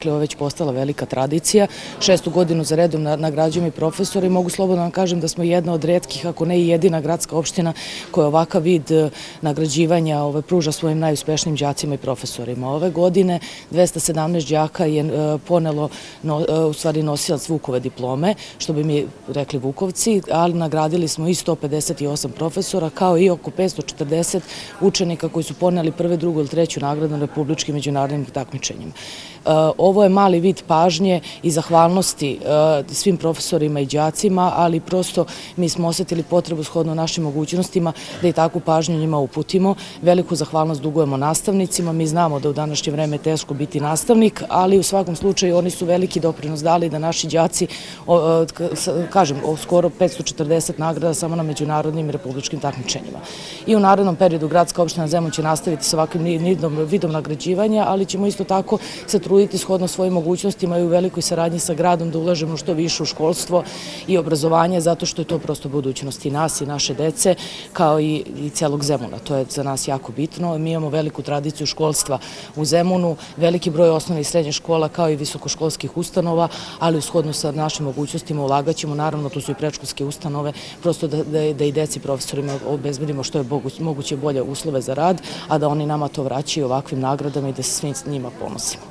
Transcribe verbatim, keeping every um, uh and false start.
Ovo je već postala velika tradicija. Šestu godinu za redom nagrađujemo i profesori i mogu slobodno vam kažem da smo jedna od retkih, ako ne i jedina gradska opština koja ovakav vid nagrađivanja pruža svojim najuspešnijim đacima i profesorima. Ove godine dvesta sedamnaest đaka je ponelo, u stvari nosilac Vukove diplome, što bi mi rekli Vukovci, ali nagradili smo i sto pedeset osam profesora, kao i oko petsto četrdeset učenika koji su poneli prve, drugu ili treću nagradu na republičkim međunarodnim takmičenjima. Ovo je mali vid pažnje i zahvalnosti svim profesorima i đacima, ali prosto mi smo osetili potrebu shodno našim mogućnostima da i takvu pažnju njima uputimo. Veliku zahvalnost dugujemo nastavnicima. Mi znamo da u današnje vreme je teško biti nastavnik, ali u svakom slučaju oni su veliki doprinos dali da naši đaci, kažem, skoro petsto četrdeset nagrada samo na međunarodnim i republičkim takmičenjima. I u narednom periodu gradska opština Zemun će nastaviti sa ovakvim vidom nagrađivanja, ali ćemo isto tako se truditi shodno svojim mogućnostima i u velikoj saradnji sa gradom da ulažemo što više u školstvo i obrazovanje, zato što je to prosto budućnost i nas i naše dece, kao i celog Zemuna. To je za nas jako bitno. Mi imamo veliku tradiciju školstva u Zemunu, veliki broj osnovnih i srednjih škola, kao i visokoškolskih ustanova, ali shodno sa našim mogućnostima ulagaćemo, naravno tu su i predškolske ustanove, prosto da i deci profesorima obezbedimo što je moguće bolje uslove za rad, a da oni nama to vraćaju ovakvim nagradama i da se svim njima ponosimo.